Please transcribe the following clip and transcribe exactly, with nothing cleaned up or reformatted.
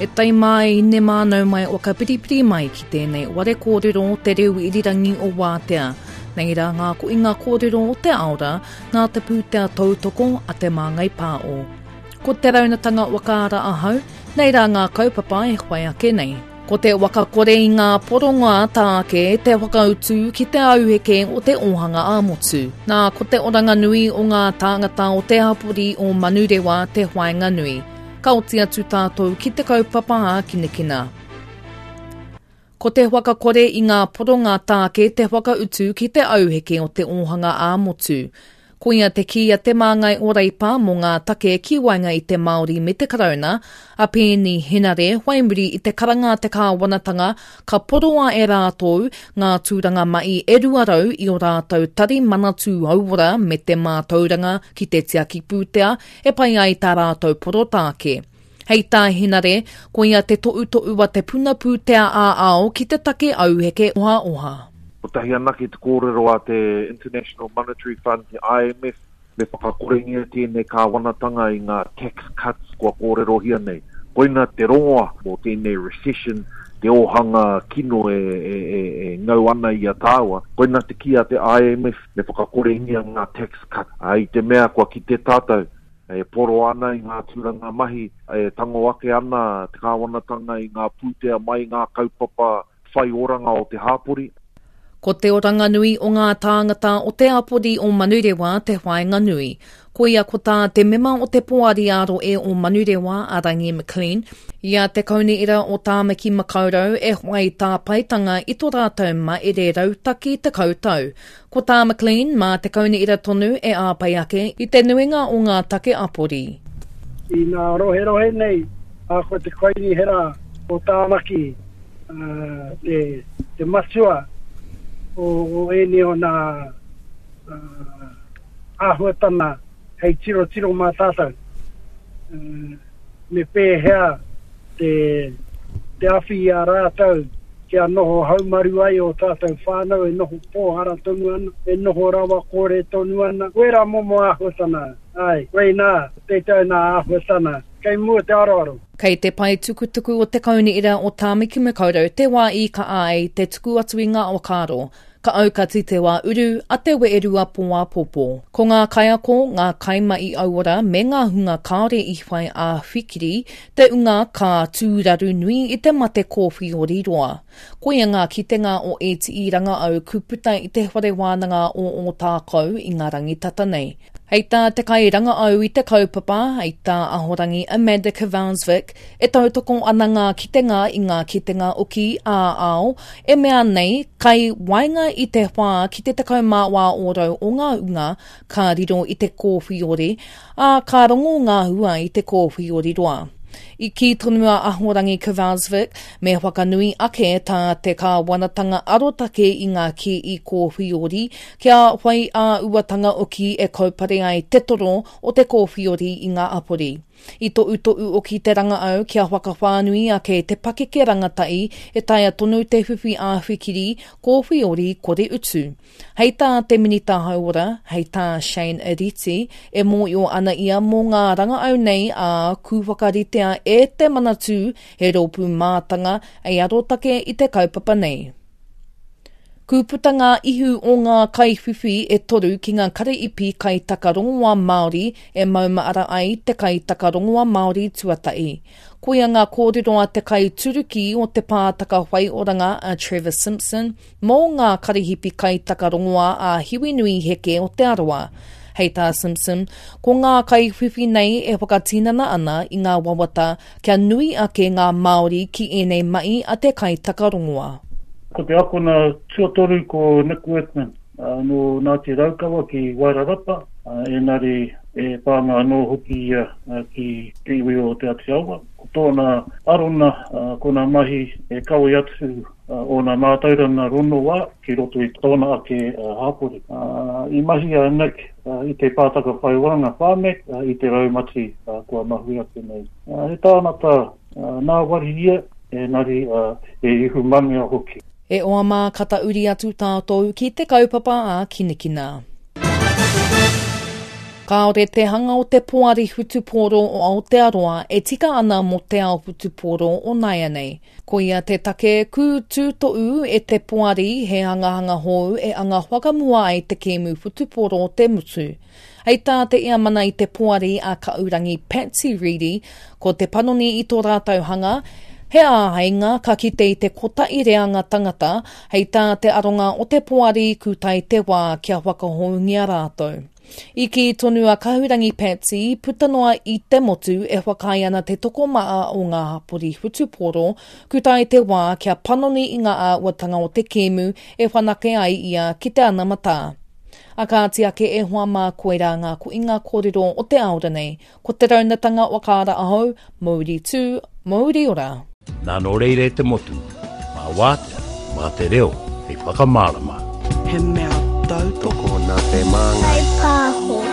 E tai mai ne mānau mai o ka piripiri mai ki tēnei ware kōrero o te reo irirangi o Wātea. Nei rā ngā ko inga kōrero o te aora nā te pūtea tautoko a te Māngai Pāo. Ko te raunatanga wakaara ahau, nei rā ngā kaupapa e whai ake nei. Ko te wakakore i ngā poronga tāke te whakautu ki te auheke o te ōhanga ā-motu. Nā, ko te oranga nui o ngā tāngata o te hapori o Manurewa te whainga nui. Ka oti atu tātou ki te kaupapa ā-kinekina. Ko te whakakore i ngā poronga tāke te whakautu ki te auheke o te ōhanga ā-motu. Koia te kī a te māngai o Reipa mō ngā take ki waenga i te Māori me te Karauna, a Pēni Henare whai muri i te karanga a te kāwanatanga ka poroa e rātou ngā tūranga mai e rua rau i o rātou tari manatū hauora me te mātauranga ki te tiaki pūtea e pai ai tā rātou porotāke. Hei tā Henare, koia te to'uto'u a te puna pūtea ā-ao ki te take auheke oha oha. Kotahi anake te kōrero a te International Monetary Fund, te I M F, me whakakorengia tēnei kāwanatanga i ngā tax cuts kua kōrerohia nei. Koina te rongoa mō tēnei recession, te ōhanga kino e, e, e, e ngau ana i a tāua. Koina te kī a te I M F, me whakakorengia ngā tax cut. A, i te mea kua kite tātou, e poro ana i ngā tūranga mahi, e tango ake ana te kāwanatanga i ngā pūtea mai ngā kaupapa whai oranga o te hāpori. Ko te oranga nui o ngā tāngata o te hapori o Manurewa te whainga nui. Koia ko tā te mema o te poari ā-rohe o Manurewa a Rangi McLean, i a te kaunihera o Tāmaki Makaurau e whai tāpaetanga i tō rātou maere rautaki te kautau. Ko tā McLean mā te kaunihera tonu e āpai ake i te nuinga o ngā take apori. I ngā roherohe nei, a ko te kaunihera o Tāmaki, uh, te, te matua o, o ēnei o nā uh, āhuatana hei tiro tiro mā tātou. Uh, me pēhea te, te awhi i a rātou kia noho haumaru ai o tātou whānau e noho pōhara tonu ana, e noho rawa kore tonu ana. Wera momo āhuatana, ai, koinā, tētai nā āhuatana, kei mua te aroaro. Kei te pae tukutuku o te kaunihera o Tāmaki Makaurau te wā i ka ai te tuku atu i ngā whakaaro. Ka aukati te wā uru a te weerua pō-ā-pōpō. Ko ngā kaiako, ngā kaimai auora me ngā hunga kāore i whai ā-whikiri, te unga ka tūraru nui i te mate kōwhiori roa. Koia ngā kitenga o E T I Rangaau kuputa i te whare wānanga o Ōtākou i ngā rangitata nei. Hei tā te kai rangaau i te kaupapa, hei tā Ahorangi Amanda Kvansvik, e tautoko ana ngā kitenga i ngā kitenga oki ā-ao, e mea nei, kai waenga i te whā ki te tekau mā wā ōrau o ngā unga, ka riro i te kōwhiori, ā ka rongo ngā hua i te kōwhiori roa. I kī tonu a Ahorangi Kvansvik, me whakanui ake tā te kāwanatanga arotake i ngā kī i kōwhiori, kia whai ā-uatanga oki e kaupare ai te toro o te kōwhiori i ngā apori. I to'uto'u oki te rangaau kia whakawhānui ake te pakeke rangatai e taea tonu te whiwhi ā-whikiri kōwhiori kore utu. Hei tā te Minita Hauora, hei tā Shane Reti, e mōio ana ia mō ngā rangaau nei a kūwhakaritea e te Manatū he rōpū mātanga ei arotake i te kaupapa nei. Kūputa ngā ihu o ngā kaiwhiwhi e toru ki ngā karaipi kaitakarongoa Māori e maumaara ai te kaitakarongoa Māori tuatahi. Koia ngā kōrero a te kaituruki o te pātaka whaioranga a Trevor Simpson mō ngā karihipi kaitakarongoa a Hiwinui Heke o Te Arawa. Hei tā Simpson, ko ngā kaiwhiwhi nei e whakatinana ana i ngā wawata kia nui ake ngā Māori ki ēnei mai a te kaitakarongoa. Ko te akona tuatoru ko Nick Workman, uh, no Ngāti Raukawa ki Wairarapa, uh, enari e pānga anō hoki ia uh, ki te iwi o Te Āti Awa. Ko tōna arona, uh, ko nā mahi e kawe atu uh, o nā mātauranga rongoā ki roto i tōna ake uh, hāpori. Uh, i mahi a Nick uh, i te pātaka whaioranga Pharmac uh, i te raumati uh, kua mahui ake nei. Uh, he tānata uh, nā wari ia, enari uh, e ihu mangea hoki. E oa mā kata uri atu tātou ki te kaupapa a Kinikina. Kāore te hanga o te poari whutupōro o Aotearoa e tika ana mō te ao whutupōro o nāianei. Koia te take kū tūtoʻu e te poari he hangahanga hou e anga whakamua ai te kēmu whutupōro o te mutu. Hei tā te iamana i te poari a Kaurangi Patsy Reedy, ko te panoni i tō rātou hanga, he āheinga ka kite i te kotahi reanga tangata, hei tā te aronga o te poari kūtai te wā kia whakahoungia rātou. I kī tonu a Kahurangi Patsy, puta noa i te motu e whakaae ana te tokomaha o ngā hapori whutupōro, kūtai te wā kia panoni i ngā āhuatanga o te kēmu e whanake ai ia ki te anamata. A kāti ake e hoa mā koirā ngā koinga kōrero o te aora nei, ko te raunatanga whakaara ahau, Mauri tū, Mauri ora. Nā nō reira e te motu, mā wātea, mā te reo, hei whakamārama. He mea tautoko nā te māngai. Pāho.